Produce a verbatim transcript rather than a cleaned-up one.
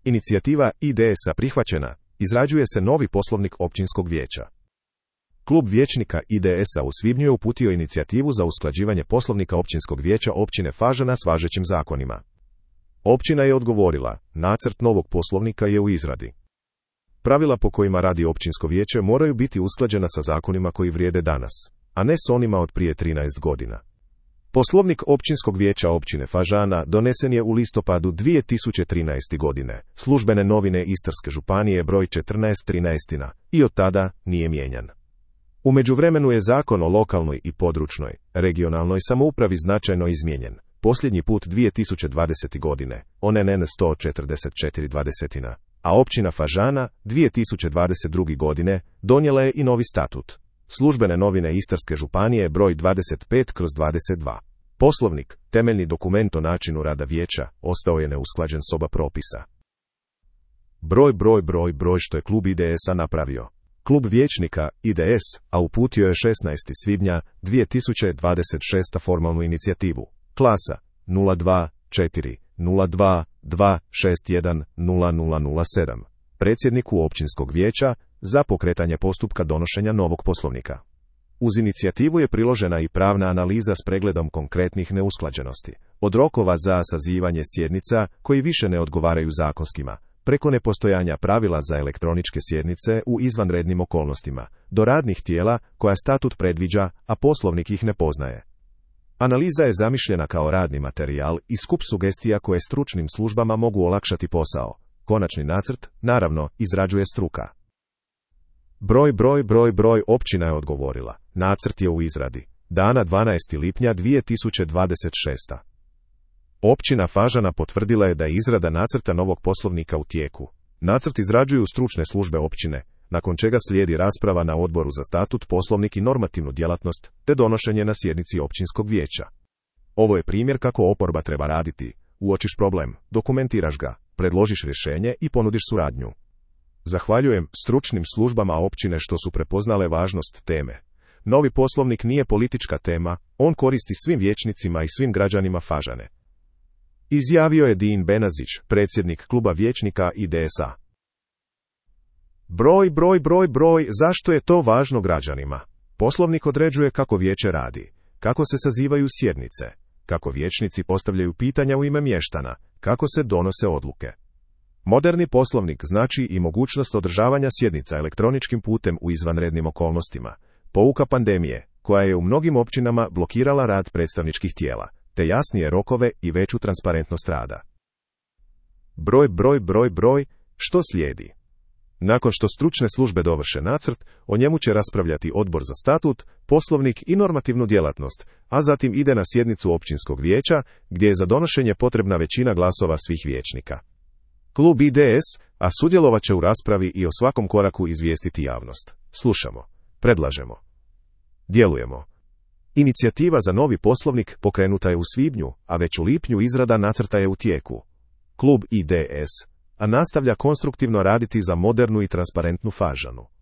Inicijativa I D S-a prihvaćena, izrađuje se novi poslovnik općinskog vijeća. Klub vijećnika I D S-a u svibnju je uputio inicijativu za usklađivanje poslovnika općinskog vijeća općine Fažana s važećim zakonima. Općina je odgovorila, nacrt novog poslovnika je u izradi. Pravila po kojima radi općinsko vijeće moraju biti usklađena sa zakonima koji vrijede danas, a ne s onima od prije trinaest godina. Poslovnik općinskog vijeća općine Fažana donesen je u listopadu dvije tisuće trinaeste. godine, Službene novine Istarske županije broj četrnaest trinaest i od tada nije mijenjan. U međuvremenu je zakon o lokalnoj i područnoj, regionalnoj samoupravi značajno izmijenjen, posljednji put dvije tisuće dvadesete. godine, on N N sto četrdeset četiri dvadeset, a općina Fažana dvije tisuće dvadeset druge. godine donijela je i novi statut. Službene novine Istarske županije broj dvadeset pet kroz dvadeset dva. Poslovnik, temeljni dokument o načinu rada vijeća, ostao je neusklađen s oba propisa. Broj, broj, broj, broj što je klub I D S-a napravio. Klub vijećnika I D S, a uputio je šesnaestog svibnja dvije tisuće dvadeset šeste. formalnu inicijativu. Klasa nula dva četiri nula dva dva šest jedan nula nula nula sedam. Predsjedniku općinskog vijeća za pokretanje postupka donošenja novog poslovnika. Uz inicijativu je priložena i pravna analiza s pregledom konkretnih neusklađenosti, od rokova za sazivanje sjednica koji više ne odgovaraju zakonskima, preko nepostojanja pravila za elektroničke sjednice u izvanrednim okolnostima, do radnih tijela koja statut predviđa, a poslovnik ih ne poznaje. Analiza je zamišljena kao radni materijal i skup sugestija koje stručnim službama mogu olakšati posao. Konačni nacrt, naravno, izrađuje struka. Broj, broj, broj, broj, općina je odgovorila. Nacrt je u izradi. Dana dvanaestog lipnja dvije tisuće dvadeset šeste. Općina Fažana potvrdila je da je izrada nacrta novog poslovnika u tijeku. Nacrt izrađuju stručne službe općine, nakon čega slijedi rasprava na odboru za statut, poslovnik i normativnu djelatnost, te donošenje na sjednici općinskog vijeća. Ovo je primjer kako oporba treba raditi. Uočiš problem, dokumentiraš ga, predložiš rješenje i ponudiš suradnju. Zahvaljujem stručnim službama općine što su prepoznale važnost teme. Novi poslovnik nije politička tema, on koristi svim vijećnicima i svim građanima Fažane. Izjavio je Din Benazić, predsjednik kluba vijećnika I D S-a. Broj, broj, broj, broj, zašto je to važno građanima? Poslovnik određuje kako vijeće radi, kako se sazivaju sjednice, kako vijećnici postavljaju pitanja u ime mještana, kako se donose odluke. Moderni poslovnik znači i mogućnost održavanja sjednica elektroničkim putem u izvanrednim okolnostima, pouka pandemije, koja je u mnogim općinama blokirala rad predstavničkih tijela, te jasnije rokove i veću transparentnost rada. Broj, broj, broj, broj, što slijedi? Nakon što stručne službe dovrše nacrt, o njemu će raspravljati odbor za statut, poslovnik i normativnu djelatnost, a zatim ide na sjednicu općinskog vijeća, gdje je za donošenje potrebna većina glasova svih vijećnika. Klub I D S, a sudjelovat će u raspravi i o svakom koraku izvijestiti javnost. Slušamo, predlažemo, djelujemo. Inicijativa za novi poslovnik pokrenuta je u svibnju, a već u lipnju izrada nacrta je u tijeku. Klub I D S, a nastavlja konstruktivno raditi za modernu i transparentnu Fažanu.